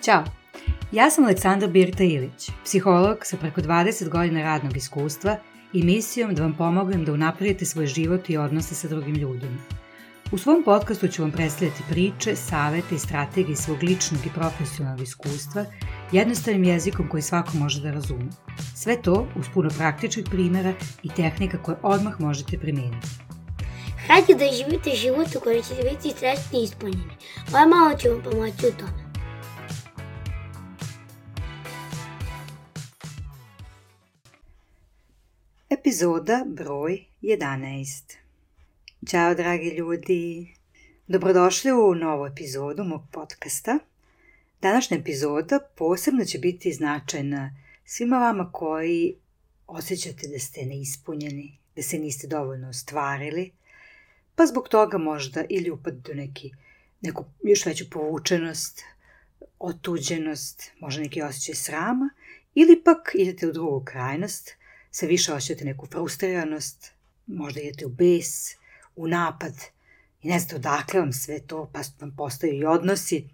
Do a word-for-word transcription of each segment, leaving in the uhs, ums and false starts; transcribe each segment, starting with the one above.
Ćao, ja sam Aleksandra Birta Ilić, psiholog sa preko dvadeset godina radnog iskustva i misijom da vam pomognem da unapredite svoj život i odnose sa drugim ljudima. U svom podcastu ću vam predstavljati priče, savete i strategije svog ličnog i profesionalnog iskustva jednostavnim jezikom koji svako može da razume. Sve to uz puno praktičnih primjera i tehnika koje odmah možete primijeniti. Hajde da živite život u kojem ćete biti srećni i ispunjeni. Ovo malo ću vam pomoći u tome. Epizoda broj jedanaest. Ćao dragi ljudi, dobrodošli u novu epizodu mog podcasta. Današnja epizoda posebno će biti značajna svima vama koji osjećate da ste neispunjeni, da se niste dovoljno ostvarili, pa zbog toga možda ili upadete u neki, neku još veću povučenost, otuđenost, možda neki osjećaj srama, ili pak idete u drugu krajnost, sve više osjećate neku frustriranost, možda idete u bes, u napad i ne znate odakle vam sve to, pa vam postaju i odnosi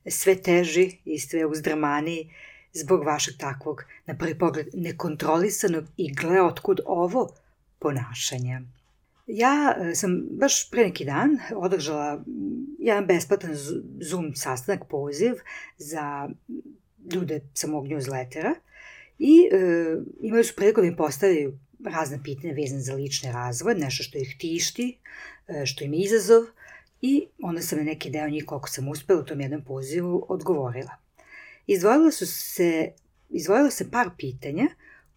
sve teži i sve uzdrmaniji zbog vašeg takvog, na prvi pogled, nekontrolisanog i gle otkud ovo ponašanja. Ja sam baš pre neki dan održala jedan besplatan Zoom sastanak, poziv za ljude sa mog newslettera i e, imali su priliku da im postavljaju razne pitanja vezane za lični razvoj, nešto što ih tišti, što im je izazov, i onda sam na neki deo njih, koliko sam uspela u tom jednom pozivu, odgovorila. Izdvojilo su se, izdvojilo se par pitanja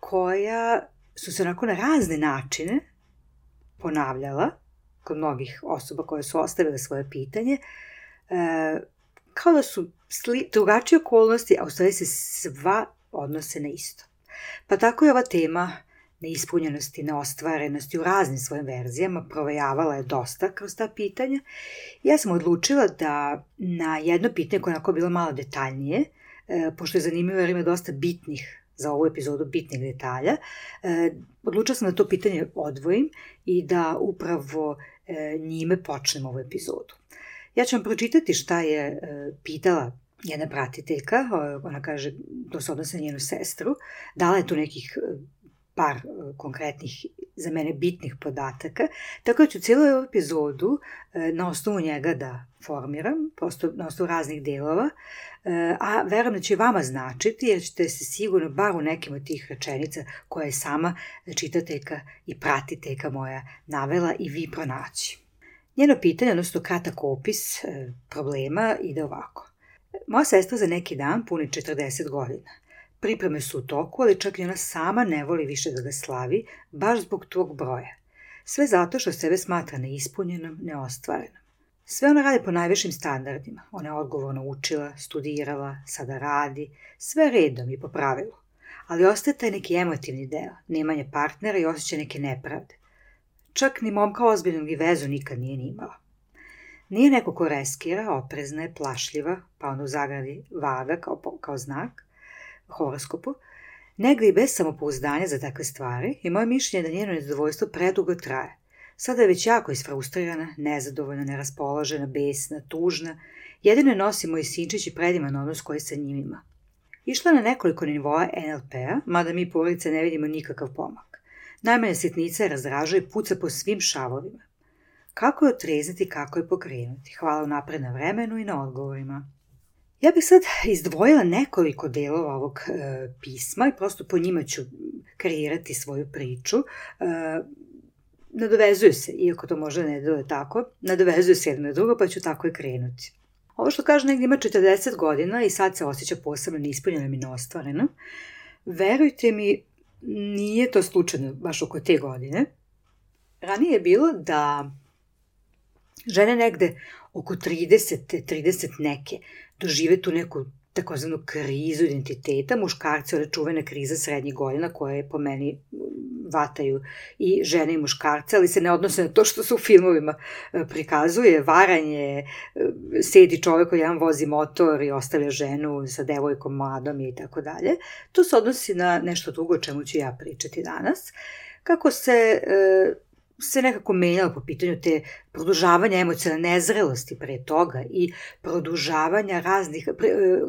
koja su se onako na razne načine ponavljala kod mnogih osoba koje su ostavile svoje pitanje, e, kao da su sli, drugačije okolnosti, a u stvari se sva odnose na isto. Pa tako je ova tema neispunjenosti, neostvarenosti u raznim svojim verzijama provejavala je dosta kroz ta pitanja. Ja sam odlučila da na jedno pitanje koje je onako bilo malo detaljnije, e, pošto je zanimljivo jer ima dosta bitnih za ovu epizodu bitnih detalja, e, odlučila sam da to pitanje odvojim i da upravo e, njime počnem ovu epizodu. Ja ću vam pročitati šta je e, pitala jedna pratiteljka, ona kaže, to se odnosi na njenu sestru, dala je tu nekih par konkretnih, za mene bitnih podataka, tako da ću cijelu ovu epizodu na osnovu njega da formiram, prosto na osnovu raznih delova, a verujem da će vama značiti, jer ćete se sigurno bar u nekim od tih rečenica koje je sama čitateljka i pratiteljka moja navela i vi pronaći. Njeno pitanje, odnosno kratak opis problema, ide ovako. Moja sestra za neki dan puni četrdeset godina. Pripreme su u toku, ali čak i ona sama ne voli više da ga slavi, baš zbog tog broja. Sve zato što sebe smatra neispunjenom, neostvarenom. Sve ona radi po najvišim standardima. Ona je odgovorno učila, studirala, sada radi, sve redom i po pravilu. Ali ostaje taj neki emotivni deo, nemanje partnera i osjećaj neke nepravde. Čak ni momka ozbiljnog i vezu nikad nije ni imala. Nije neko ko reskira, oprezna je, plašljiva, pa onda u zagradi vaga kao, kao znak, horoskopu, negdje i bez samopouzdanja za takve stvari, i moje mišljenje je da njeno nezadovoljstvo predugo traje. Sada je već jako isfrustrirana, nezadovoljna, neraspoložena, besna, tužna, jedino je nosi moj sinčić i predivan odnos koji sa njim ima. Išla na nekoliko nivoa en el pe-a, mada mi porodice ne vidimo nikakav pomak. Najmanja sitnica je razdražuje i puca po svim šavovima. Kako je otrezniti, kako je pokrenuti? Hvala unapred na vremenu i na odgovorima. Ja bih sad izdvojila nekoliko delova ovog e, pisma i prosto po njima ću kreirati svoju priču. E, nadovezuju se, iako to možda ne deluje tako, nadovezuju se jedno na drugo, pa ću tako i krenuti. Ovo što kaže negdje ima četrdeset godina i sad se osjeća posebno neispunjenom i neostvarenom. Verujte mi, nije to slučajno baš oko te godine. Ranije je bilo da žene negde oko trideset, trideset neke dožive tu neku takozvanu krizu identiteta, muškarci, one čuvene krize srednjih godina koje po meni vataju i žene i muškarce, ali se ne odnose na to što se u filmovima prikazuje, varanje, sedi čovjek koji jedan vozi motor i ostavlja ženu sa devojkom mladom i tako dalje. To se odnosi na nešto drugo o čemu ću ja pričati danas. Kako se se nekako menjalo po pitanju te produžavanja emocionalne nezrelosti pre toga i produžavanja raznih,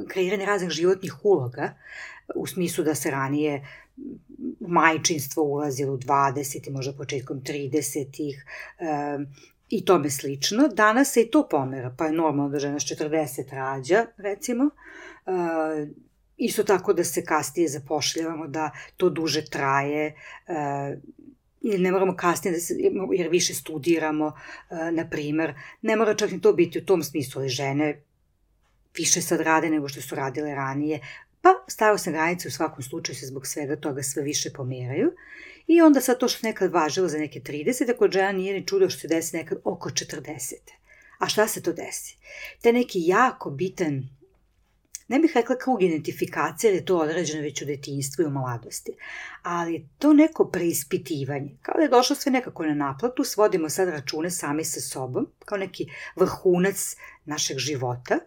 kreiranja raznih životnih uloga, u smislu da se ranije majčinstvo ulazilo u dvadeset, možda početkom tridesetih i tome slično. Danas se i to pomera, pa je normalno da žena s četrdeset rađa, recimo. Isto tako da se kasnije zapošljavamo, da to duže traje, ili ne moramo kasnije, da se, jer više studiramo, na primer. Ne mora čak ni to biti u tom smislu, ali žene više sad rade nego što su radile ranije. Pa starosne granice u svakom slučaju se zbog svega toga sve više pomeraju. I onda sad to što nekad važilo za neke trideset, kod žena nije ni čudo što se desi nekad oko četrdeset. A šta se to desi? Te neki jako bitan, ne bih rekla krug identifikacije, jer je to određeno već u detinjstvu i u mladosti, ali to neko preispitivanje, kao da je došlo sve nekako na naplatu, svodimo sad račune sami sa sobom, kao neki vrhunac našeg života,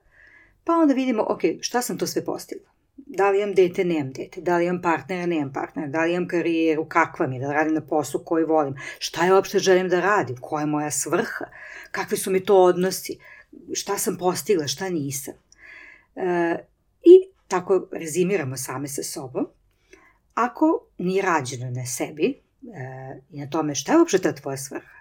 pa onda vidimo, ok, šta sam to sve postigla? Da li imam dete, nemam dete, da li imam partnera, nemam partnera, da li imam karijeru, kakva mi je, da radim na poslu koji volim, šta je uopšte želim da radim, koja je moja svrha, kakvi su mi to odnosi, šta sam postigla, šta nisam. E, I tako rezimiramo same sa sobom. Ako nije rađeno na sebi e, i na tome šta je uopšte ta tvoja svrha,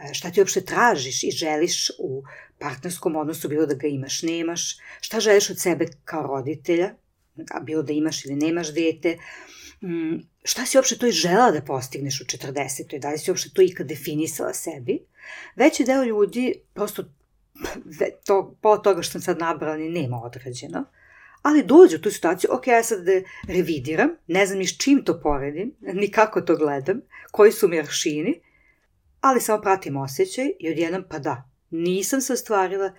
e, šta ti uopšte tražiš i želiš u partnerskom odnosu, bilo da ga imaš, nemaš, šta želiš od sebe kao roditelja, bilo da imaš ili nemaš dete, šta si uopšte to i žela da postigneš u četrdesetoj, da li si uopšte to ikad definisala sebi. Veći deo ljudi prosto to, po toga što sam sad nabrala ni nema odrađeno, ali dođu u tu situaciju, ok, ja sad da revidiram, ne znam ni s čim to poredim, ni kako to gledam, koji su mi aršini, ali samo pratim osjećaj i odjednom pa da, nisam se ostvarila,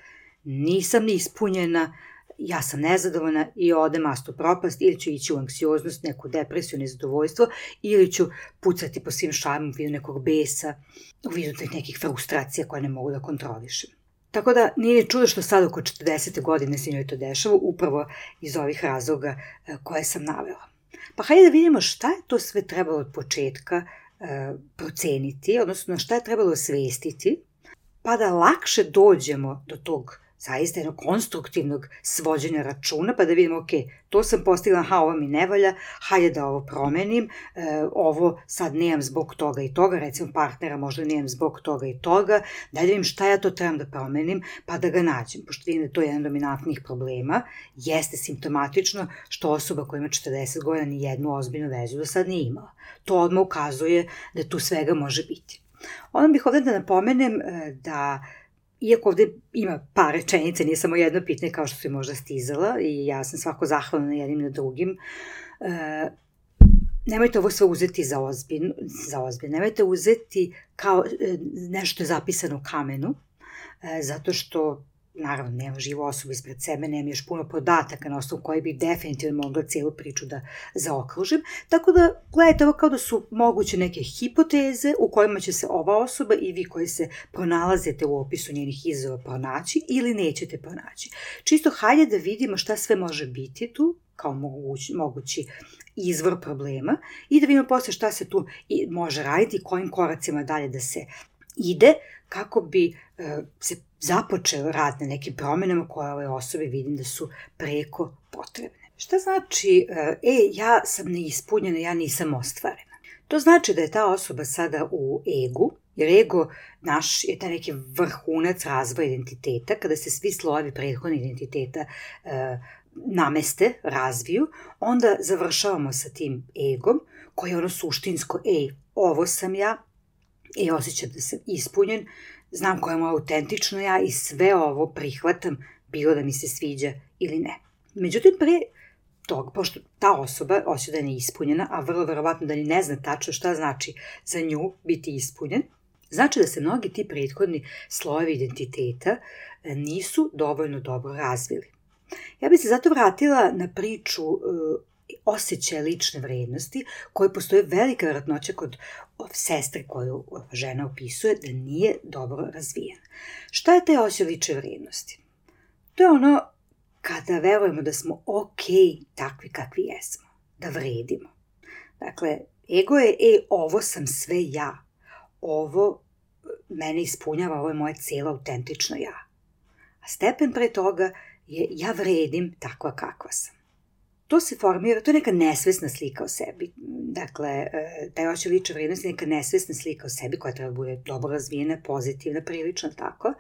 nisam ni ispunjena, ja sam nezadovoljna i ode mastu propast, ili ću ići u anksioznost, neku depresiju, nezadovoljstvo, ili ću pucati po svim šarmu u vidu nekog besa, u vidu nekih frustracija koje ne mogu da kontrolišem. Tako da nije čudo što sad oko četrdesete godine se njoj to dešava, upravo iz ovih razloga koje sam navela. Pa hajde da vidimo šta je to sve trebalo od početka proceniti, odnosno šta je trebalo osvestiti, pa da lakše dođemo do tog zaista jednog konstruktivnog svođenja računa, pa da vidimo, ok, to sam postigla, aha, ovo mi ne valja, hajde da ovo promenim, e, ovo sad nemam zbog toga i toga, recimo partnera možda nemam zbog toga i toga, da vidim šta ja to trebam da promenim, pa da ga nađem, pošto vidim da je to jedan od dominantnih problema, jeste simptomatično što osoba koja ima četrdeset godina ni jednu ozbiljnu vezu do sad nije imala. To odmah ukazuje da tu svega može biti. Onda bih ovdje da napomenem da iako ovde ima par rečenica, nije samo jedno pitanje kao što se možda stizala i ja sam svako zahvalna na jednim na drugim, e, nemojte ovo sve uzeti za ozbiljno, za ozbiljno. Nemojte uzeti kao e, nešto je zapisano u kamenu, e, zato što naravno nema živu osobu ispred sebe, nema još puno podataka na osnovu koji bi definitivno mogla cijelu priču da zaokružim, tako da gledajte ovo kao da su moguće neke hipoteze u kojima će se ova osoba i vi koji se pronalazite u opisu njenih izazova pronaći ili nećete pronaći. Čisto hajde da vidimo šta sve može biti tu kao mogući, mogući izvor problema i da vidimo posle šta se tu može raditi i kojim koracima dalje da se ide kako bi e, se započeo rad na nekim promjenama koje ove osobe vidim da su preko potrebne. Šta znači, e, ja sam neispunjena, ja nisam ostvarena? To znači da je ta osoba sada u egu, jer ego naš je taj neki vrhunac razvoja identiteta, kada se svi slojevi prethodnih identiteta e, nameste, razviju, onda završavamo sa tim egom, koji je ono suštinsko, ej, ovo sam ja, i osjećam da sam ispunjen, znam koja je moja autentično ja i sve ovo prihvatam, bilo da mi se sviđa ili ne. Međutim, pre toga, pošto ta osoba osjeća da je neispunjena, a vrlo verovatno da ni ne zna tačno šta znači za nju biti ispunjen, znači da se mnogi ti prethodni slojevi identiteta nisu dovoljno dobro razvili. Ja bih se zato vratila na priču osjećaja lične vrednosti, koje postoje velika vjerojatnoća kod sestre koju žena opisuje da nije dobro razvijena. Šta je taj osjećaj lične vrednosti? To je ono kada verujemo da smo ok takvi kakvi jesmo, da vredimo. Dakle, ego je, e, ovo sam sve ja, ovo mene ispunjava, ovo je moje cijelo autentično ja. A stepen pre toga je ja vredim takva kakva sam. To se formira, to je neka nesvesna slika o sebi. Dakle, taj osjećaj lične vrednosti je neka nesvesna slika o sebi koja treba bude dobro razvijena, pozitivna, prilično tako.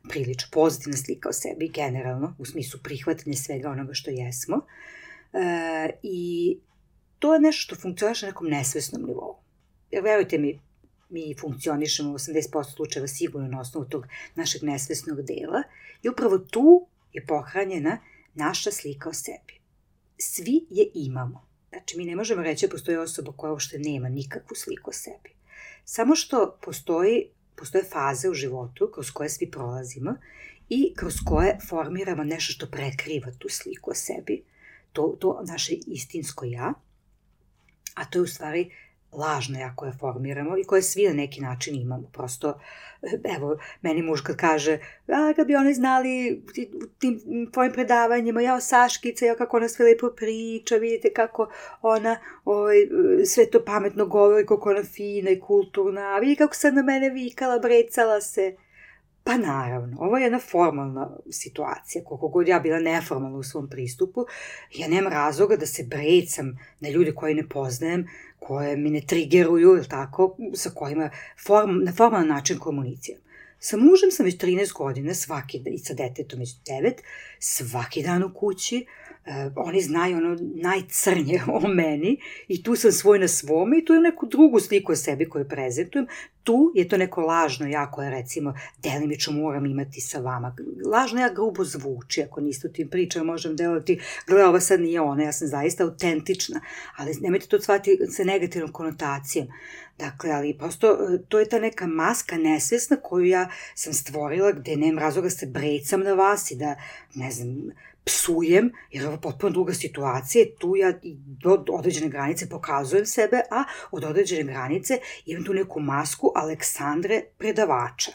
Prilično pozitivna slika o sebi, generalno, u smislu prihvatanja svega onoga što jesmo. E, I to je nešto što funkcioniše na nekom nesvesnom nivou. Jer verujte mi, mi funkcionišemo u osamdeset posto slučajeva sigurno na osnovu tog našeg nesvesnog dela i upravo tu je pohranjena naša slika o sebi. Svi je imamo. Znači, mi ne možemo reći da postoji osoba koja uopšte nema nikakvu sliku o sebi. Samo što postoji, postoje faze u životu kroz koje svi prolazimo i kroz koje formiramo nešto što prekriva tu sliku o sebi. To, to naše istinsko ja, a to je u stvari lažno ja koje formiramo i koje svi na neki način imamo. Prosto, evo, meni muž kad kaže, a kad bi oni znali u tim tvojim predavanjima, jao Saškica, jao kako ona sve lepo priča, vidite kako ona oj, sve to pametno govori, kako ona fina i kulturna, vidi kako sad na mene vikala, brecala se. Pa naravno, ovo je jedna formalna situacija, koliko god ja bila neformalna u svom pristupu, ja nemam razloga da se brecam na ljude koje ne poznajem, koje mi ne trigeruju, ili tako, sa kojima form, na formalan način komuniciram. Sa mužem sam već trinaest godina, svaki dan, i sa detetom već devet, svaki dan u kući, Uh, oni znaju ono najcrnje o meni i tu sam svoj na svome i tu je neku drugu sliku o sebi koju prezentujem. Tu je to neko lažno ja koje recimo delimično moram imati sa vama. Lažno ja grubo zvuči, ako niste u tim pričama možem delati, gleda ova sad nije ona, ja sam zaista autentična, ali nemojte to shvatiti sa negativnom konotacijom. Dakle, ali prosto to je ta neka maska nesvesna koju ja sam stvorila gde nemam razloga se brecam na vas i da, ne znam, psujem, jer ovo je potpuno druga situacija, tu ja do određene granice pokazujem sebe, a od određene granice imam tu neku masku Aleksandre predavača.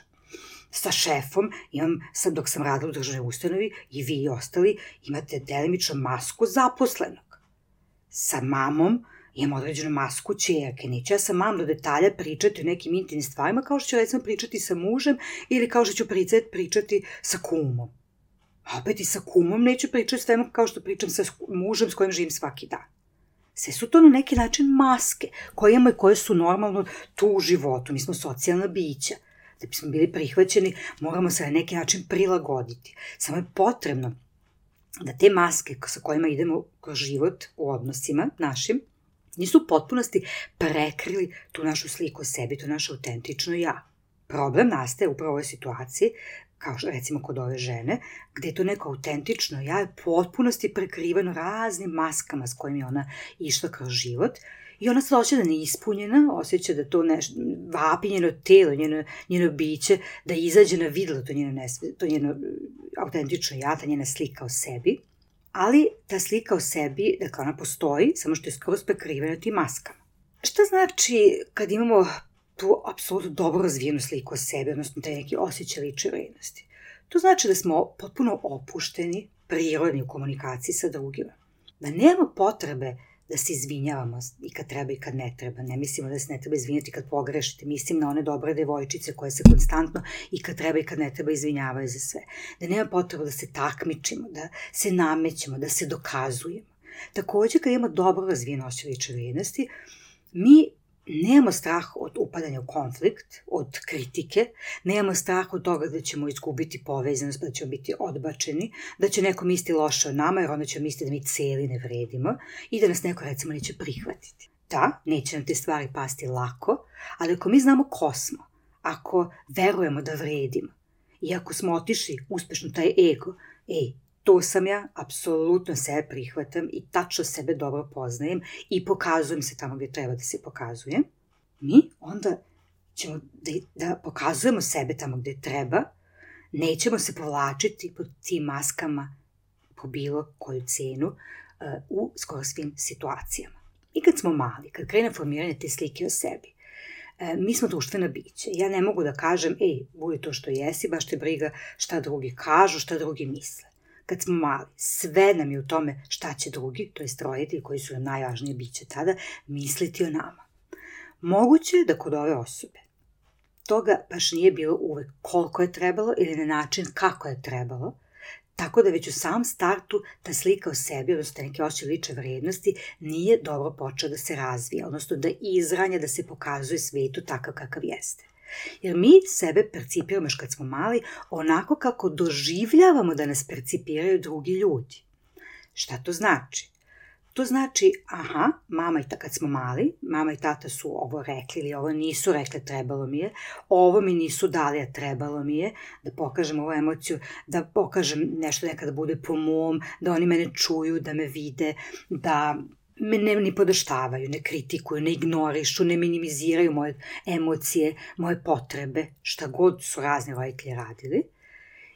Sa šefom imam, sad dok sam radila u državnoj ustanovi, i vi i ostali imate delimično masku zaposlenog. Sa mamom imam određenu masku ćerke, neću ja sa mamom do detalja pričati o nekim intimnim stvarima, kao što ću recimo pričati sa mužem ili kao što ću pričati sa kumom. A opet i sa kumom neću pričati svemu kao što pričam sa mužem s kojim živim svaki dan. Sve su to na neki način maske koje imamo i koje su normalno tu u životu. Mi smo socijalna bića. Da bismo bili prihvaćeni, moramo se na neki način prilagoditi. Samo je potrebno da te maske sa kojima idemo kroz život u odnosima našim nisu u potpunosti prekrili tu našu sliku o sebi, to naše autentično ja. Problem nastaje upravo u ovoj situaciji, kao što recimo kod ove žene, gde je to neko autentično ja je potpunosti prekriveno raznim maskama s kojim je ona išla kroz život i ona se osjeća da neispunjena, osjeća da to nešto, vapi njeno telo, njeno, njeno biće, da izađe na videlo to njeno, nesve, to njeno autentično ja, ta njena slika o sebi, ali ta slika o sebi, dakle ona postoji, samo što je skroz prekrivena tim maskama. Šta znači kad imamo tu apsolutno dobro razvijenu sliku o sebi, odnosno taj neki osjećaj lične vrednosti? To znači da smo potpuno opušteni, prirodni u komunikaciji sa drugima. Da nema potrebe da se izvinjavamo i kad treba i kad ne treba. Ne mislimo da se ne treba izvinjati kad pogrešite. Mislim na one dobre devojčice koje se konstantno i kad treba i kad ne treba izvinjavaju za sve. Da nema potrebe da se takmičimo, da se namećemo, da se dokazujemo. Također, kad imamo dobro razvijeno osjećaj lične vrednosti, mi nemamo strah od upadanja u konflikt, od kritike, nemamo strah od toga da ćemo izgubiti povezanost, da ćemo biti odbačeni, da će neko misli loše o nama, jer onda ćemo misliti da mi cijeli ne vredimo i da nas neko recimo neće prihvatiti. Da, neće nam te stvari pasti lako, ali ako mi znamo ko smo, ako verujemo da vredimo i ako smo otišli uspešno taj ego, ej, to sam ja, apsolutno sebe prihvatam i tačno sebe dobro poznajem i pokazujem se tamo gdje treba da se pokazujem, mi onda ćemo da, da pokazujemo sebe tamo gdje treba, nećemo se povlačiti pod tim maskama po bilo koju cenu uh, u skoro svim situacijama. I kad smo mali, kad krene formiranje te slike o sebi, uh, mi smo društvena bića. Ja ne mogu da kažem, ej, budi to što jesi, baš te briga šta drugi kažu, šta drugi misle. Kad smo mali, sve nam je u tome šta će drugi, to jest roditelji koji su nam najvažnije biće tada, misliti o nama. Moguće je da kod ove osobe toga baš nije bilo uvek koliko je trebalo ili na način kako je trebalo, tako da već u samom startu ta slika o sebi, odnosno neke osjećaje lične vrednosti, nije dobro počela da se razvija, odnosno da izranja, da se pokazuje svetu takav kakav jeste. Jer mi sebe percipiramo još kad smo mali onako kako doživljavamo da nas percipiraju drugi ljudi. Šta to znači? To znači, aha, mama i tata, kad smo mali, mama i tata su ovo rekli ili ovo nisu rekli, trebalo mi je, ovo mi nisu dali, a trebalo mi je, da pokažem ovu emociju, da pokažem nešto nekada bude po mom, da oni mene čuju, da me vide, da me ne ni podaštavaju, ne kritikuju, ne ignorišu, ne minimiziraju moje emocije, moje potrebe, šta god su razni roditelji radili.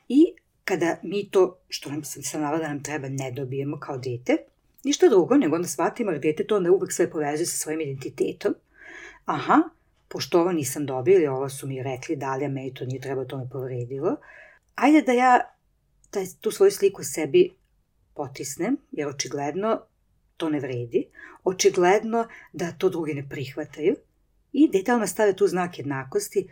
I kada mi to, što nam sam sam navela da nam treba, ne dobijemo kao dete, ništa drugo, nego onda shvatimo, jer dete to onda uvek sve povezuje sa svojim identitetom. Aha, pošto ovo nisam dobila ili ovo su mi rekli, dali, a meni to nije trebalo, to me povredilo. Ajde da ja taj, tu svoju sliku sebi potisnem, jer očigledno to ne vredi, očigledno da to drugi ne prihvataju i detaljno stave tu znak jednakosti.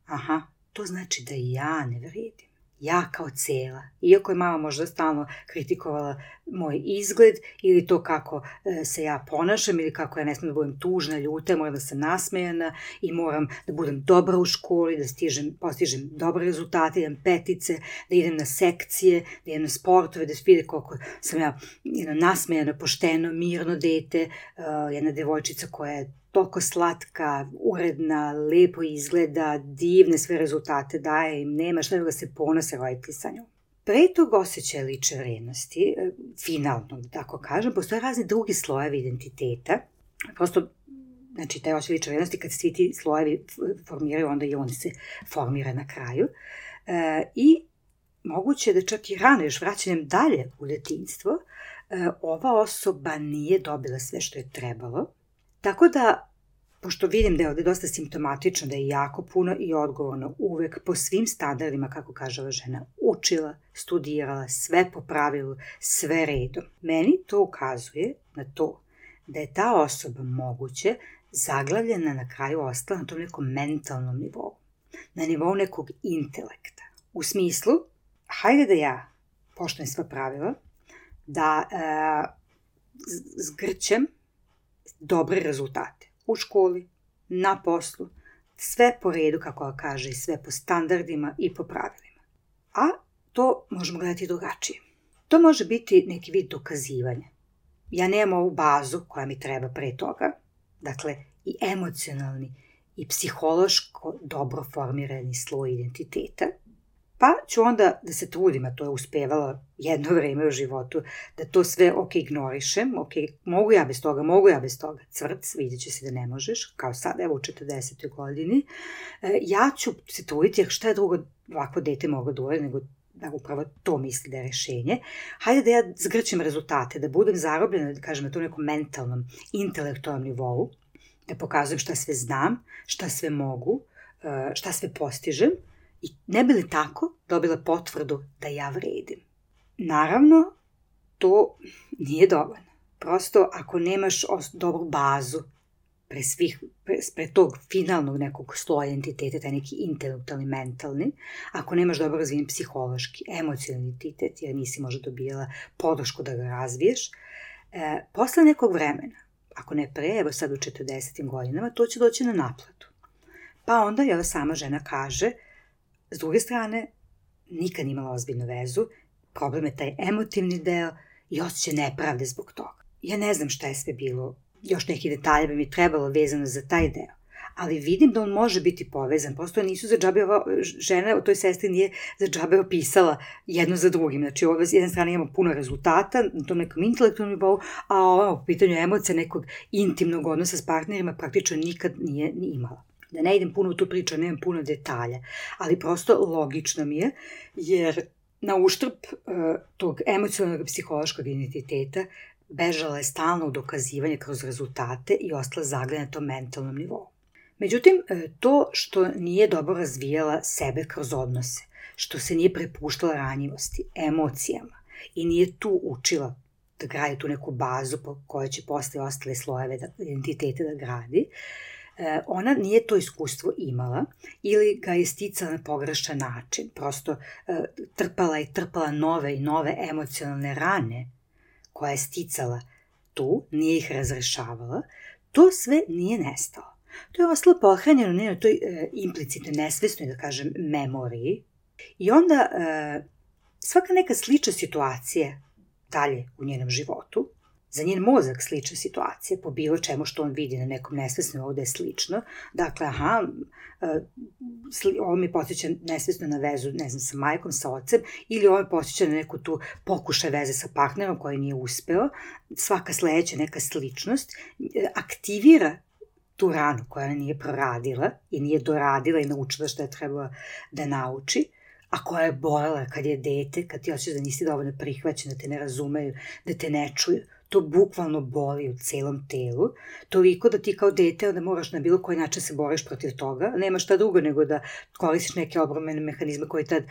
Aha, to znači da ja ne vredim. Ja kao cela. Iako je mama možda stalno kritikovala moj izgled ili to kako se ja ponašam ili kako ja ne smijem da budem tužna, ljuta, moram da sam nasmejana i moram da budem dobra u školi, da stižem, postižem dobre rezultate, idem petice, da idem na sekcije, da idem na sportove, da vide koliko sam ja jedno, nasmejano, pošteno, mirno dete, uh, jedna devojčica koja je toliko slatka, uredna, lepo izgleda, divne sve rezultate daje im, nema šta da se ponose roditelji sa njom. Pre tog osjećaja lične vrednosti, finalno, da tako kažem, postoje razni drugi slojevi identiteta. Prosto, znači, taj osjećaj lične vrednosti, kad svi ti slojevi formiraju, onda i on se formira na kraju. E, I moguće da čak i rano, još vraćanjem dalje u detinjstvo, e, ova osoba nije dobila sve što je trebalo. Tako da, pošto vidim da je ovde dosta simptomatično, da je jako puno i odgovorno uvek po svim standardima, kako kaže ova žena, učila, studirala, sve po pravilu, sve redom. Meni to ukazuje na to da je ta osoba moguće zaglavljena na kraju ostala na tom nekom mentalnom nivou, na nivou nekog intelekta. U smislu, hajde da ja poštujem sva pravila, da e, zgrćem dobre rezultate u školi, na poslu, sve po redu, kako kaže, sve po standardima i po pravilima. A to možemo gledati drugačije. To može biti neki vid dokazivanja. Ja nemam ovu bazu koja mi treba pre toga, dakle i emocionalni i psihološko dobro formirani sloj identiteta, pa ću onda da se trudim, a to je uspevala jedno vreme u životu, da to sve ok ignorišem, ok, mogu ja bez toga, mogu ja bez toga, cvrc, vidjet će se da ne možeš, kao sad, evo u četrdesetoj godini, e, ja ću se truditi, jer šta je drugo ovako dete mogu da uvede, nego da upravo to misli da je rešenje. Hajde da ja zgrćem rezultate, da budem zarobljena, da kažem, na tom nekom mentalnom, intelektualnom nivou, da pokazujem šta sve znam, šta sve mogu, šta sve postižem, i ne bi li tako dobila potvrdu da ja vredim. Naravno, to nije dovoljno. Prosto, ako nemaš dobru bazu pre, svih, pre, pre tog finalnog nekog sloja identiteta, taj neki intelektualni, mentalni, ako nemaš dobro razvijen psihološki, emocionalni identitet, jer nisi možda dobijala podršku da ga razviješ, e, posle nekog vremena, ako ne pre, evo sad u četrdesetim godinama, to će doći na naplatu. Pa onda, jel, sama žena kaže, s druge strane, nikad nije imala ozbiljnu vezu, problem je taj emotivni deo i osjećaj nepravde zbog toga. Ja ne znam šta je sve bilo, još neki detalje bi mi trebalo vezano za taj deo, ali vidim da on može biti povezan, prosto nisu za džabe, ova žena o toj sestri nije za džabe opisala jedno za drugim, znači ovo s jedne strane imamo puno rezultata na tom nekom intelektualnom nivou, a ovo u pitanju emocija nekog intimnog odnosa s partnerima praktično nikad nije ni imala. Da ne idem puno u tu priču, nemam puno detalja, ali prosto logično mi je, jer na uštrb uh, tog emocionalnog psihološkog identiteta bežala je stalno u dokazivanje kroz rezultate i ostala zaglavljena na tom mentalnom nivou. Međutim, to što nije dobro razvijala sebe kroz odnose, što se nije prepuštala ranjivosti, emocijama i nije tu učila da gradi tu neku bazu po kojoj će posle ostale slojeve identiteta da gradi, e, ona nije to iskustvo imala ili ga je sticala na pogrešan način. Prosto e, trpala je trpala nove i nove emocionalne rane koje je sticala tu, nije ih razrešavala, to sve nije nestalo. To je ostalo pohranjeno na toj e, implicitnoj, nesvesnoj, da kažem, memoriji. I onda e, svaka neka slična situacija dalje u njenom životu, za njen mozak slična situacija, po bilo čemu što on vidi na nekom nesvesnom, ovde je slično. Dakle, aha, e, sli, ovo mi podsjeća nesvesno na vezu, ne znam, sa majkom, sa ocem, ili ovo mi podsjeća na neku tu pokušaj veze sa partnerom koji nije uspeo. Svaka sledeća neka sličnost e, aktivira tu ranu koja ona nije proradila i nije doradila i naučila što je trebala da nauči, a koja je bolela kad je dete, kad ti hoćeš da nisi dovoljno prihvaćen, da te ne razumeju, da te ne čuju. To bukvalno boli u celom telu, toliko da ti kao dete onda moraš na bilo koji način se boriš protiv toga, nema šta drugo nego da koristiš neke obrambene mehanizme koji tad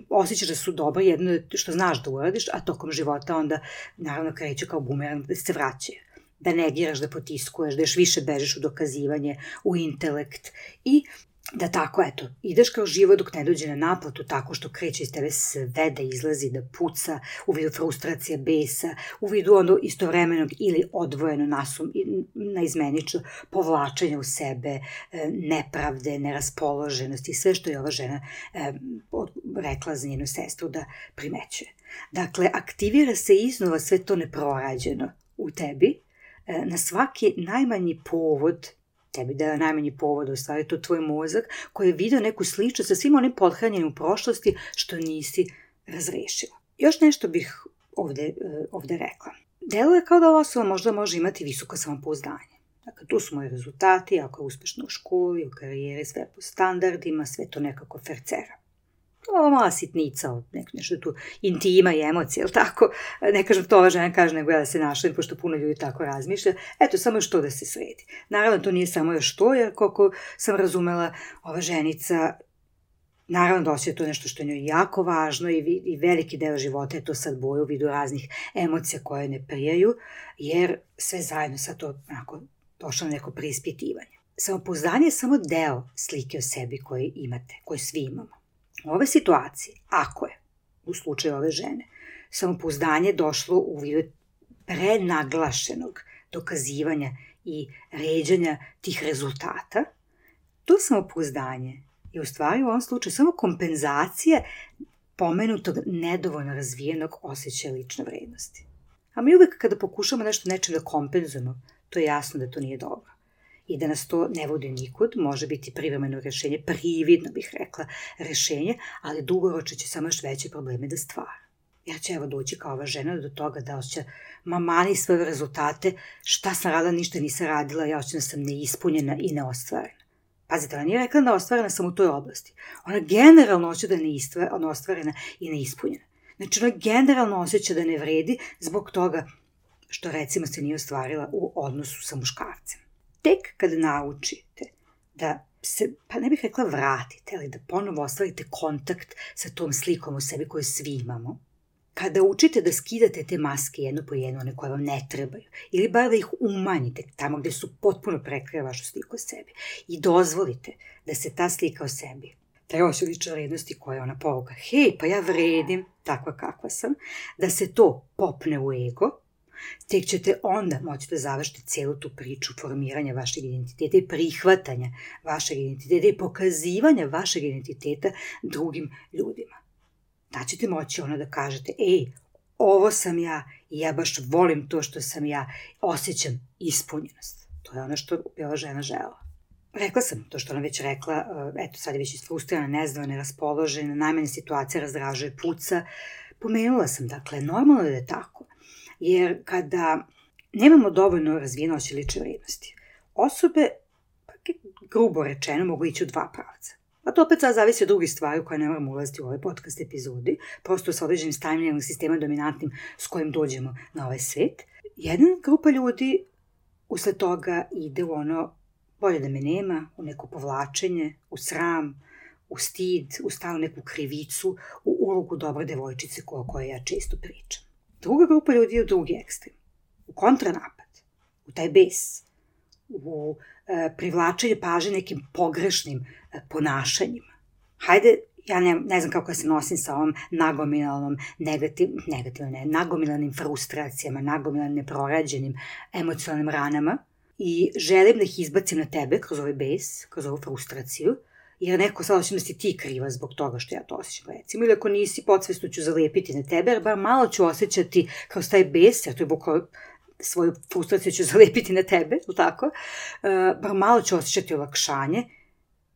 osjećaš da su dobro, jedno što znaš da uradiš, a tokom života onda naravno kreću kao bumerang da se vraćaju. Da negiraš, da potiskuješ, da još više bežeš u dokazivanje, u intelekt i da tako, eto, ideš kao život dok ne dođe na naplatu tako što kreće iz tebe sve da izlazi, da puca u vidu frustracija, besa, u vidu ono istovremenog ili odvojeno nasum, naizmenično povlačenja u sebe, nepravde, neraspoloženosti, sve što je ova žena e, rekla za njenu sestru da primećuje. Dakle, aktivira se iznova sve to neprorađeno u tebi, e, na svaki najmanji povod tebi da je najmanji povod, u stvari to tvoj mozak koji je vidio neku sliču sa svim onim podhranjenim u prošlosti što nisi razrešila. Još nešto bih ovde, ovde rekla. Deluje kao da ova osoba možda može imati visoko samopouzdanje. Dakle, tu su moji rezultati, ako je uspešna u školi, u karijeri, sve po standardima, sve to nekako fercera. Ova mala sitnica, nešto tu intima i emocije, ili tako? Ne kažem to ova žena kaže, nego ja da se našlim, pošto puno ljudi tako razmišlja. Eto, samo još to da se sredi. Naravno, to nije samo još to, jer koliko sam razumela, ova ženica, naravno da osjeća to nešto što je njoj jako važno i, i veliki deo života je to sad boju u vidu raznih emocija koje ne prijaju, jer sve zajedno sad to onako došlo na neko preispitivanje. Samopouzdanje je samo deo slike o sebi koje imate, koje svi imamo. U ove situacije, ako je, u slučaju ove žene, samopouzdanje došlo u vidu prenaglašenog dokazivanja i ređanja tih rezultata, to samopouzdanje je u stvari u ovom slučaju samo kompenzacija pomenutog nedovoljno razvijenog osjećaja lične vrednosti. A mi uvek kada pokušamo nešto nečem da kompenzujemo, to je jasno da to nije dobro. I da nas to ne vodi nikud, može biti privremeno rešenje, prividno bih rekla rešenje, ali dugoročno će samo još veće probleme da stvara. Ja će evo doći kao ova žena do toga da osjeća mamani svoje rezultate, šta sam radila, ništa nisam radila, ja osjećam da sam neispunjena i neostvarena. Pazite, ona nije rekla neostvarena samo u toj oblasti. Ona generalno osjeća da je neostvarena i neispunjena. Znači ona generalno osjeća da ne vredi zbog toga što recimo se nije ostvarila u odnosu sa muškarcem. Tek kada naučite da se, pa ne bih rekla vratite, ali da ponovo ostvarite kontakt sa tom slikom u sebi koju svi imamo, kada učite da skidate te maske jedno po jedno, one koje vam ne trebaju, ili bar da ih umanjite tamo gde su potpuno prekrije vašu sliku o sebi i dozvolite da se ta slika o sebi, taj osjećaj lične vrednosti koja je ona poruka, hej, pa ja vredim takva kakva sam, da se to popne u ego, tek ćete onda moći da završite celu tu priču formiranja vašeg identiteta i prihvatanja vašeg identiteta i pokazivanja vašeg identiteta drugim ljudima. Da ćete moći ono da kažete, ej, ovo sam ja i ja baš volim to što sam ja, osjećam ispunjenost. To je ono što je ova žena želela. Rekla sam to što ona već rekla, eto sad je već isfrustrirana, nezdravna, neraspoložena, najmanje situacija razdražuje, puca. Pomenula sam, dakle, normalno da je tako. Jer kada nemamo dovoljno razvijeno osjećaj lične vrednosti, osobe, grubo rečeno, mogu ići u dva pravca. A to opet sad zavisi od drugih stvari koje ne moramo ulaziti u ovaj podcast epizodi, prosto sa određenim stavljanjem sistema dominantnim s kojim dođemo na ovaj svet. Jedna grupa ljudi usled toga ide u ono bolje da me nema, u neko povlačenje, u sram, u stid, u stalnu neku krivicu, u ulogu dobre devojčice o kojoj ja često pričam. Druga grupa ljudi je u drugi ekstrem, u kontranapad, u taj bes, u e, privlačenju pažnje nekim pogrešnim e, ponašanjima. Hajde, ja ne, ne znam kako ja se nosim sa ovom nagomilanom, negativ, negativno ne, nagomilanim frustracijama, nagomilanim neprorađenim emocionalnim ranama i želim da ih izbacim na tebe kroz ovaj bes, kroz ovu frustraciju, jer neko sad osjećam da si ti kriva zbog toga što ja to osjećam, recimo, ili ako nisi, podsvesno ću zalepiti na tebe, jer bar malo ću osjećati kroz taj bes, jer to je bukvalno svoju frustraciju ću zalepiti na tebe, ili tako, uh, bar malo ću osjećati olakšanje,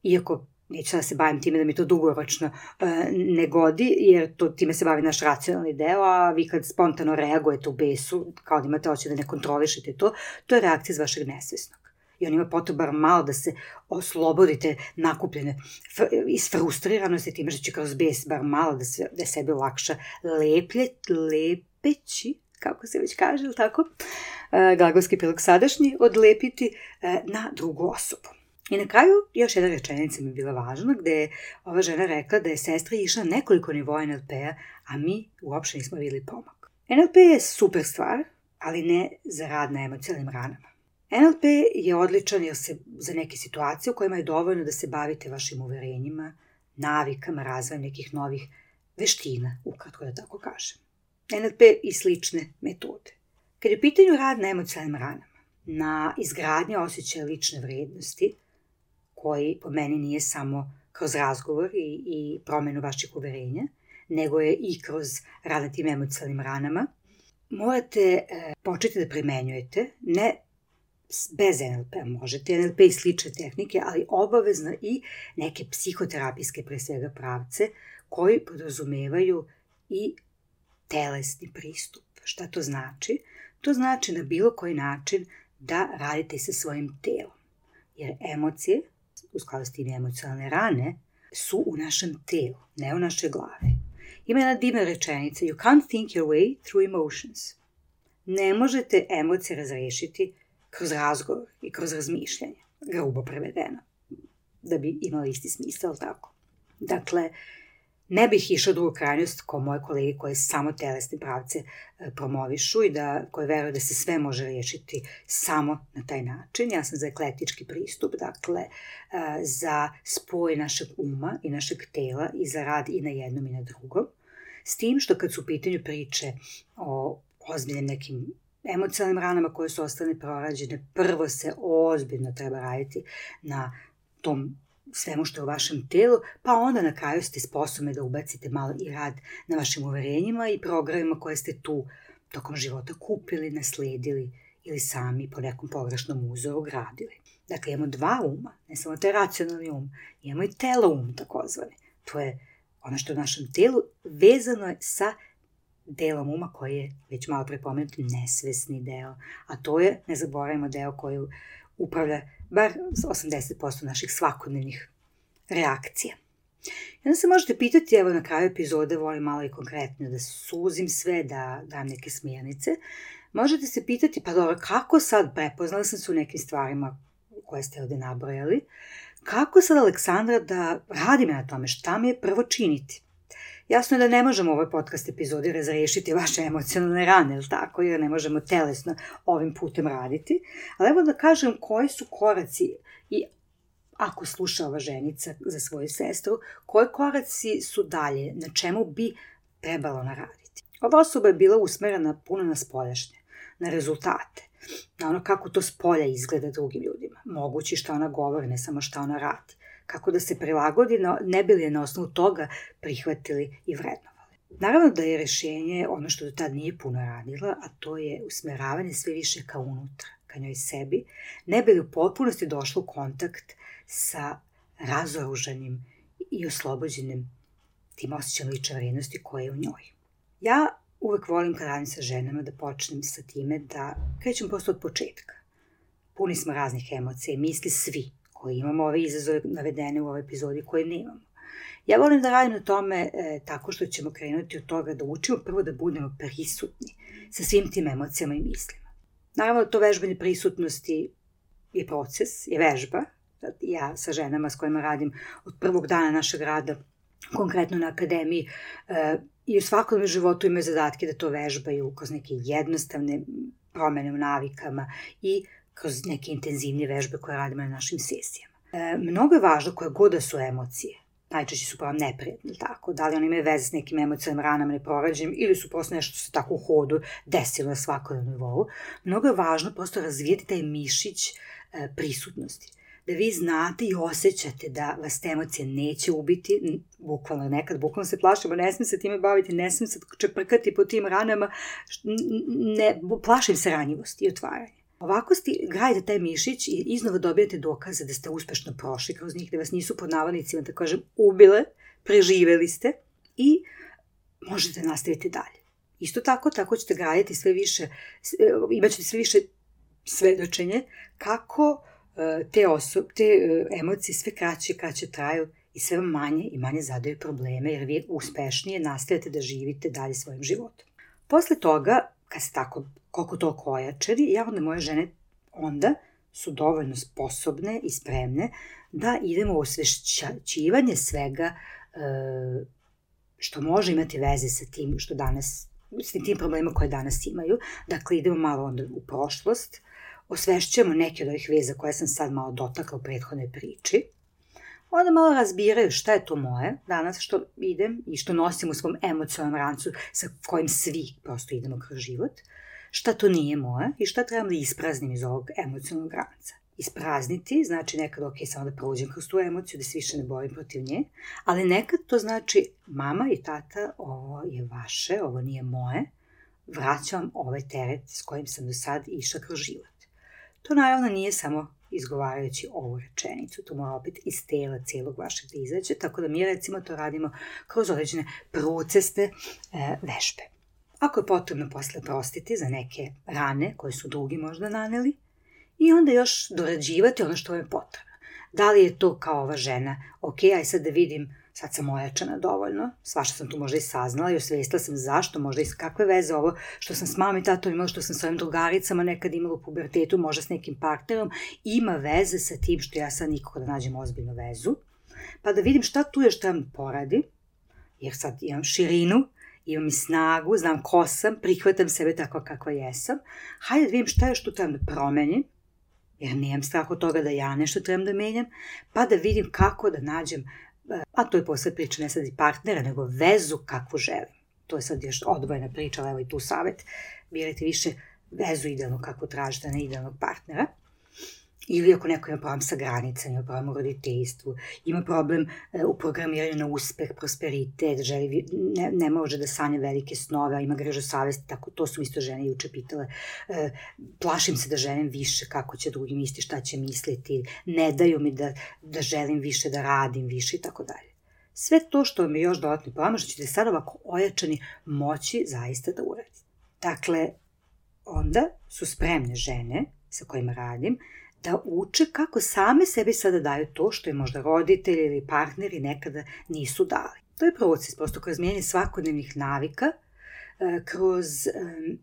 iako neću da se bavim time da mi to dugoročno uh, ne godi, jer to, time se bavi naš racionalni deo, a vi kad spontano reagujete u besu, kao da imate osjećaj da ne kontrolišete to, to je reakcija iz vašeg nesvesnog. I on ima potreba malo da se oslobodite nakupljene isfrustriranosti time što će kroz bes bar malo da, se, da sebi olakša leplje, lepeći, kako se već kaže, ili tako, uh, glagolski prilog sadašnji, odlepiti uh, na drugu osobu. I na kraju još jedna rečenica mi je bila važna, gde je ova žena rekla da je sestra išla nekoliko nivoa en el pe-a, a mi uopšte nismo videli pomak. en el pe je super stvar, ali ne za rad na emocionalnim ranama. en el pe je odličan jer se za neke situacije u kojima je dovoljno da se bavite vašim uverenjima, navikama, razvojem nekih novih veština, ukratko da tako kažem. en el pe i slične metode. Kad je u pitanju rad na emocionalnim ranama, na izgradnje osjećaja lične vrednosti, koji po meni nije samo kroz razgovor i, i promenu vaših uverenja, nego je i kroz rad na tim emocionalnim ranama, morate e, početi da primenjujete, ne bez en el pe-a, možete en el pe i slične tehnike, ali obavezno i neke psihoterapijske, pre svega, pravce, koji podrazumevaju i telesni pristup. Šta to znači? To znači na bilo koji način da radite sa svojim telom. Jer emocije, u skladu s tim emocionalne rane, su u našem telu, ne u našoj glavi. Ima jedna divna rečenica, you can't think your way through emotions. Ne možete emocije razrešiti kroz razgovor i kroz razmišljanje, grubo prevedeno, da bi imali isti smisao, tako. Dakle, ne bih išla drugu krajnost kao moje kolege koje samo telesne pravce promovišu i da, koje veruju da se sve može riješiti samo na taj način. Ja sam za eklektički pristup, dakle, za spoj našeg uma i našeg tela i za rad i na jednom i na drugom. S tim što kad su u pitanju priče o ozbiljnim nekim emocionalnim ranama koje su ostane prorađene, prvo se ozbiljno treba raditi na tom svemu što je u vašem telu, pa onda na kraju ste sposobni da ubacite malo i rad na vašim uverenjima i programima koje ste tu tokom života kupili, nasledili ili sami po nekom pogrešnom uzoru gradili. Dakle, imamo dva uma, ne samo taj racionalni um, imamo i telo um takozvani. To je ono što je u našem telu vezano je sa delom uma koji je već malo prepomenuti nesvesni deo, a to je, ne zaboravimo, deo koji upravlja bar osamdeset posto naših svakodnevnih reakcija. I onda se možete pitati, evo na kraju epizode volim malo i konkretno da suzim sve, da dam neke smjernice. Možete se pitati, pa dobro, kako sad, prepoznala sam se u nekim stvarima koje ste ovde nabrojali, kako sad, Aleksandra, da radim na tome, šta mi je prvo činiti? Jasno je da ne možemo u ovoj podcast epizodi razrešiti vaše emocionalne rane, ili tako, jer ne možemo telesno ovim putem raditi, ali evo da kažem koji su koraci i ako sluša ova ženica za svoju sestru, koji koraci su dalje, na čemu bi trebalo naraditi. Ova osoba je bila usmerena puno na spoljašnje, na rezultate, na ono kako to spolja izgleda drugim ljudima, mogući šta ona govori, ne samo šta ona radi, kako da se prilagodi, no ne bi li je na osnovu toga prihvatili i vrednovali. Naravno da je rešenje ono što do tad nije puno radila, a to je usmeravanje sve više ka unutra, ka njoj sebi, ne bi li u potpunosti došlo u kontakt sa razoružanim i oslobođenim tim osjećajem lične vrednosti koje je u njoj. Ja uvek volim kad radim sa ženama da počnem sa time da krećem prosto od početka. Puni smo raznih emocija i misli svi koji imamo ove izazove navedene u ovoj epizodi koje nemamo. Ja volim da radim na tome e, tako što ćemo krenuti od toga da učimo prvo da budemo prisutni sa svim tim emocijama i mislima. Naravno, to vežbanje prisutnosti je proces, je vežba. Ja sa ženama s kojima radim od prvog dana našeg rada, konkretno na akademiji, e, i u svakodnevnom životu imaju zadatke da to vežbaju kroz neke jednostavne promene u navikama i kroz neke intenzivnije vežbe koje radimo na našim sesijama. E, mnogo je važno koje god da su emocije, najčešće su pa vam neprijatni, tako, da li oni imaju veze s nekim emocijama, ranama, neprorađenim, ili su prosto nešto što se tako u hodu desilo na svakodnevnom nivou. Mnogo je važno prosto razvijeti taj mišić e, prisutnosti. Da vi znate i osjećate da vas te emocije neće ubiti, bukvalno nekad, bukvalno se plašimo, ne smijem se time baviti, ne smijem se čeprkati po tim ranama, ne, plašim se ranjivosti i otvaranja. Ovako sti, gradite taj mišić i iznova dobijate dokaze da ste uspešno prošli kroz njih, da vas nisu pod navodnicima, da kažem, ubile, preživeli ste i možete nastaviti dalje. Isto tako, tako ćete graditi sve više, imat ćete sve više svedočenje kako te, osob, te emocije sve kraće i kraće traju i sve manje i manje zadaju probleme, jer vi uspešnije nastavite da živite dalje svojim životom. Posle toga, kad ste tako koliko toliko ojačali, ja onda moje žene onda su dovoljno sposobne i spremne da idemo u osvešćivanje svega e, što može imati veze sa tim što danas, s tim problemima koje danas imaju. Dakle, idemo malo onda u prošlost, osvešćujemo neke od ovih veza koje sam sad malo dotakla u prethodnoj priči, onda malo razbiraju šta je to moje danas što idem i što nosim u svom emocionalnom rancu sa kojim svi prosto idemo kroz život, šta to nije moje i šta trebam da ispraznim iz ovog emocionalnog ranca. Isprazniti znači nekad ok, samo da prođem kroz tu emociju, da se više ne borim protiv nje, ali nekad to znači mama i tata, ovo je vaše, ovo nije moje, vraćam ovaj teret s kojim sam do sad išla kroz život. To naravno nije samo izgovarajući ovu rečenicu, to mora opet iz tela cijelog vašeg da izađe, tako da mi recimo to radimo kroz određene procesne e, vežbe. Ako je potrebno posle prostiti za neke rane koje su drugi možda naneli i onda još dorađivati ono što vam je potrebno. Da li je to kao ova žena, ok, aj sad da vidim, sad sam ojačana dovoljno, svašta sam tu možda i saznala i osvestila sam zašto, možda i kakve veze ovo što sam s mamom i tatom imala, što sam s ovim drugaricama nekad imala u pubertetu, možda s nekim partnerom, ima veze sa tim što ja sad nikako da nađem ozbiljnu vezu, pa da vidim šta tu još trebam poradi, jer sad imam širinu, imam i snagu, znam ko sam, prihvatam sebe tako kakva jesam, hajde da vidim šta još tu trebam da promenim, jer nemam strah od toga da ja nešto trebam da menjam, pa da vidim kako da nađem, a to je posle priča ne sad i partnera, nego vezu kakvu želim. To je sad još odvojena priča, ali evo i tu savjet, birajte više vezu idealno kako tražite, ne idealnog partnera. Ili ako neko ima problem sa granicama, ima problem u roditeljstvu, ima problem u programiranju na uspeh, prosperitet, želi, ne, ne može da sanja velike snove, a ima grežu savesti, tako to su isto žene juče pitale. E, plašim se da želim više, kako će drugi misliti, šta će misliti, ne daju mi da, da želim više, da radim više i tako dalje. Sve to što vam je još dodatno pomoć, što ćete sad ovako ojačani moći zaista da uradite. Dakle, onda su spremne žene sa kojima radim, da uče kako same sebi sada daju to što je možda roditelji ili partneri nekada nisu dali. To je proces, prosto kroz mijenjanje svakodnevnih navika, kroz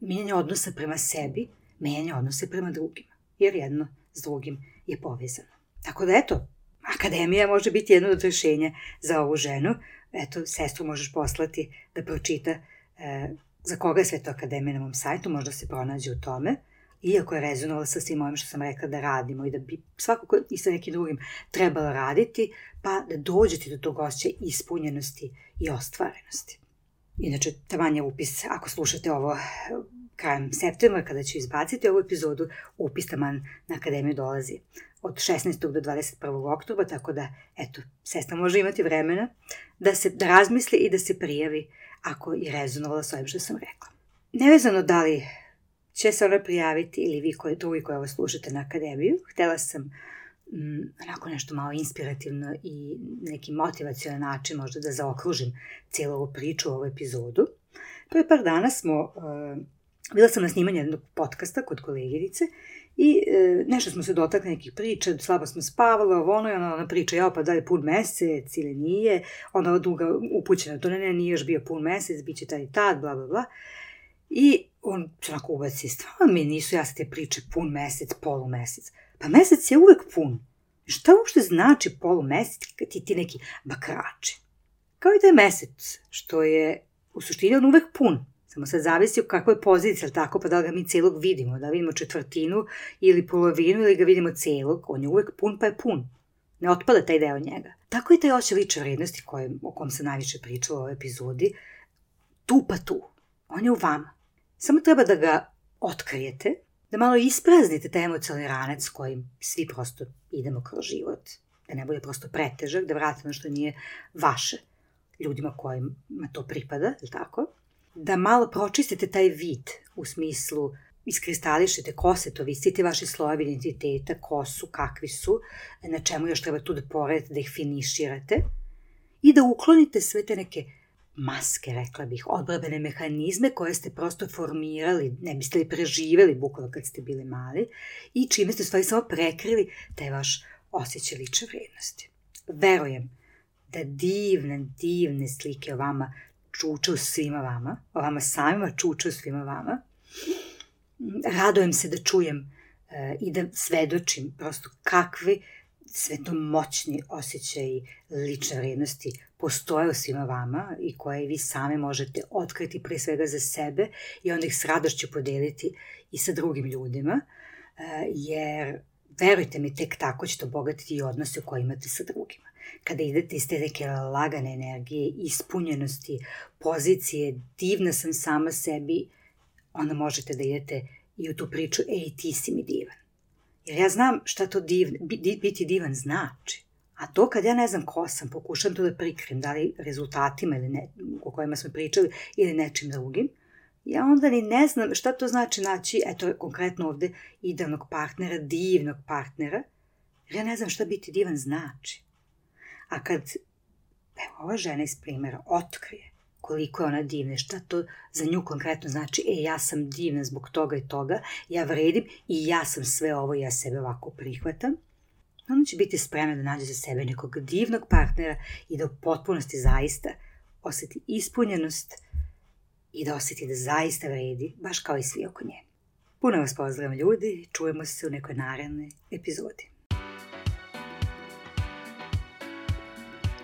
mijenjanje odnosa prema sebi, mijenjanje odnosa prema drugima, jer jedno s drugim je povezano. Tako da eto, akademija može biti jedno od rješenja za ovu ženu. Eto, sestru možeš poslati da pročita za koga je sve to akademija na mom sajtu, možda se pronađe u tome. Iako je rezonovala sa svim ovim što sam rekla da radimo i da bi svakako i sa nekim drugim trebalo raditi, pa da dođete do tog osjećaja ispunjenosti i ostvarenosti. Inače, taman je upis, ako slušate ovo krajem septembra, kada ću izbaciti ovu epizodu, upis taman na akademiju dolazi od šesnaestog do dvadeset prvog oktobra, tako da, eto, sestra može imati vremena da se da razmisli i da se prijavi ako je rezonovala s ovim što sam rekla. Nevezano da li će se ona prijaviti ili vi koji, drugi koji ovo slušate na akademiju. Htjela sam mm, onako nešto malo inspirativno i neki motivacijonan način možda da zaokružim cijelu ovu priču, ovu epizodu. Prije par dana smo, uh, bila sam na snimanju jednog podcasta kod koleginice i uh, nešto smo se dotakli nekih priča, slabo smo spavali, ovo ono i ona, ona priča, ja pa da li pun mesec ili nije, onda ova druga upućena, to ne, ne, nije još bio pun mesec, bit će taj i tad, bla, bla, bla. I on se onako ubaci, stvarno mi nisu jasne te priče pun mesec, polumesec. Pa mesec je uvek pun. Šta uopšte znači polumesec kad ti ti neki bakrači? Kao i taj mesec, što je u suštini on uvek pun. Samo sad zavisi u kakvoj poziciji, ali tako, pa da li ga mi celog vidimo, da vidimo četvrtinu ili polovinu ili ga vidimo celog, on je uvek pun pa je pun. Ne otpada taj deo njega. Tako i taj osjećaj lične vrednosti koje, o kom sam najviše pričala u ovoj epizodi, tu pa tu. On je u vama. Samo treba da ga otkrijete, da malo ispraznite taj emocionalni ranac kojim svi prosto idemo kroz život. Da ne bude prosto pretežak, da vratite ono što nije vaše ljudima kojima to pripada, je li tako? Da malo pročistite taj vid u smislu iskristališite ko se to, visite vaši slojevi identiteta, ko su, kakvi su, na čemu još treba tu da poredite, da ih finiširate i da uklonite sve te neke maske, rekla bih, odbrambene mehanizme koje ste prosto formirali, ne biste li preživeli bukvalno kad ste bili mali i čime ste u stvari samo prekrili taj vaš osjećaj lične vrednosti. Verujem da divne, divne slike o vama čuče u svima vama, o vama samima čuče u svima vama. Radujem se da čujem uh, i da svedočim prosto kakvi svetomoćni osjećaji lične vrednosti postoje u svima vama i koje vi sami možete otkriti pre svega za sebe i onda ih s radošću podeliti i sa drugim ljudima, uh, jer verujte mi, tek tako ćete obogatiti i odnose koje imate sa drugima. Kada idete iz te neke lagane energije, ispunjenosti, pozicije, divna sam sama sebi, onda možete da idete i u tu priču, ej, ti si mi divan. Jer ja znam šta to div, biti divan znači. A to kad ja ne znam ko sam, pokušam to da prikrim, da li rezultatima ili ne, o kojima smo pričali ili nečim drugim, ja onda ni ne znam šta to znači naći, eto konkretno ovde, idealnog partnera, divnog partnera, jer ja ne znam šta biti divan znači. A kad, evo, ova žena iz primjera otkrije koliko je ona divna, šta to za nju konkretno znači, e, ja sam divna zbog toga i toga, ja vredim i ja sam sve ovo, ja sebe ovako prihvatam, ona će biti spremna da nađe za sebe nekog divnog partnera i da u potpunosti zaista osjeti ispunjenost i da osjeti da zaista vredi, baš kao i svi oko nje. Puno vas pozdravljam ljudi, čujemo se u nekoj narednoj epizodi.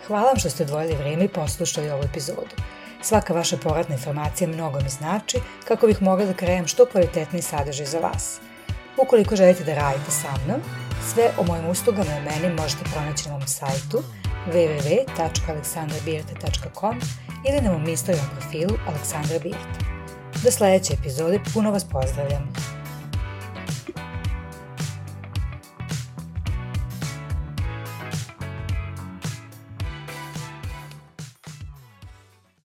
Hvala vam što ste odvojili vreme i poslušali ovu epizodu. Svaka vaša povratna informacija mnogo mi znači kako bih mogla da krenem što kvalitetniji sadržaj za vas. Ukoliko želite da radite sa mnom, sve o mojim uslugama i meni možete pronaći na mom sajtu w w w tačka aleksandra birta tačka com ili na mom Instagram profilu Aleksandra Birta. Do sledeće epizode puno vas pozdravljam.